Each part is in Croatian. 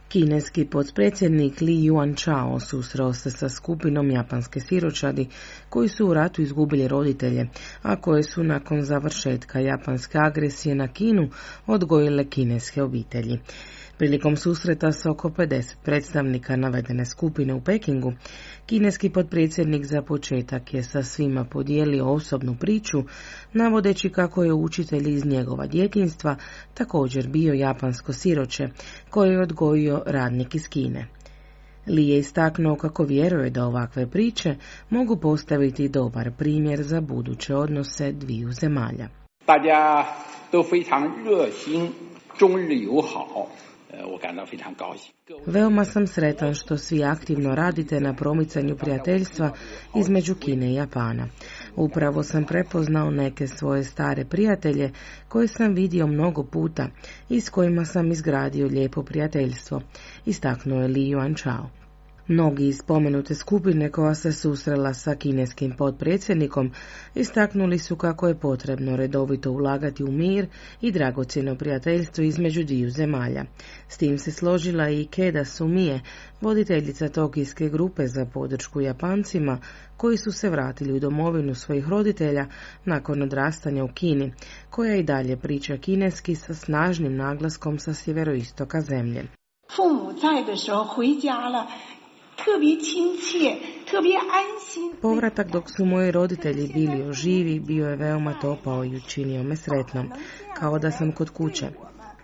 Kineski potpredsjednik Li Yuanchao susreo se sa skupinom japanske siročadi koji su u ratu izgubili roditelje, a koje su nakon završetka japanske agresije na Kinu odgojile kineske obitelji. Prilikom susreta s oko 50 predstavnika navedene skupine u Pekingu, kineski potpredsjednik za početak je sa svima podijelio osobnu priču, navodeći kako je učitelj iz njegova djetinjstva također bio japansko siroče, koje je odgojio radnik iz Kine. Li je istaknuo kako vjeruje da ovakve priče mogu postaviti dobar primjer za buduće odnose dviju zemalja. Veoma sam sretan što svi aktivno radite na promicanju prijateljstva između Kine i Japana. Upravo sam prepoznao neke svoje stare prijatelje koje sam vidio mnogo puta i s kojima sam izgradio lijepo prijateljstvo, istaknuo je Li Yuanchao. Mnogi iz spomenute skupine koja se susrela sa kineskim potpredsjednikom istaknuli su kako je potrebno redovito ulagati u mir i dragocjeno prijateljstvo između dviju zemalja. S tim se složila i Keda Sumie, voditeljica tokijske grupe za podršku Japancima koji su se vratili u domovinu svojih roditelja nakon odrastanja u Kini, koja i dalje priča kineski sa snažnim naglaskom sa sjeveroistoka zemlje. Povratak dok su moji roditelji bili živi bio je veoma topao i učinio me sretnom, kao da sam kod kuće.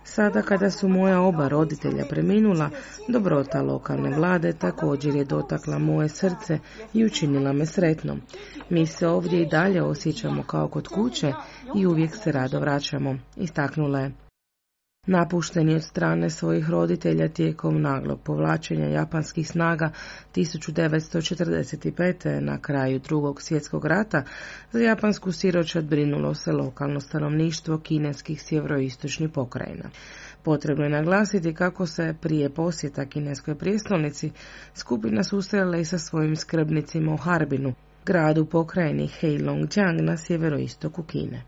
Sada kada su moja oba roditelja preminula, dobrota lokalne vlade također je dotakla moje srce i učinila me sretnom. Mi se ovdje i dalje osjećamo kao kod kuće i uvijek se rado vraćamo, istaknula je. Napušteni od strane svojih roditelja tijekom naglog povlačenja japanskih snaga 1945. na kraju Drugog svjetskog rata, za japansku siročad brinulo se lokalno stanovništvo kineskih sjeveroistočnih pokrajina. Potrebno je naglasiti kako se prije posjeta kineskoj prijestolnici skupina susrela i sa svojim skrbnicima u Harbinu, gradu pokrajini Heilongjiang na sjeveroistoku Kine.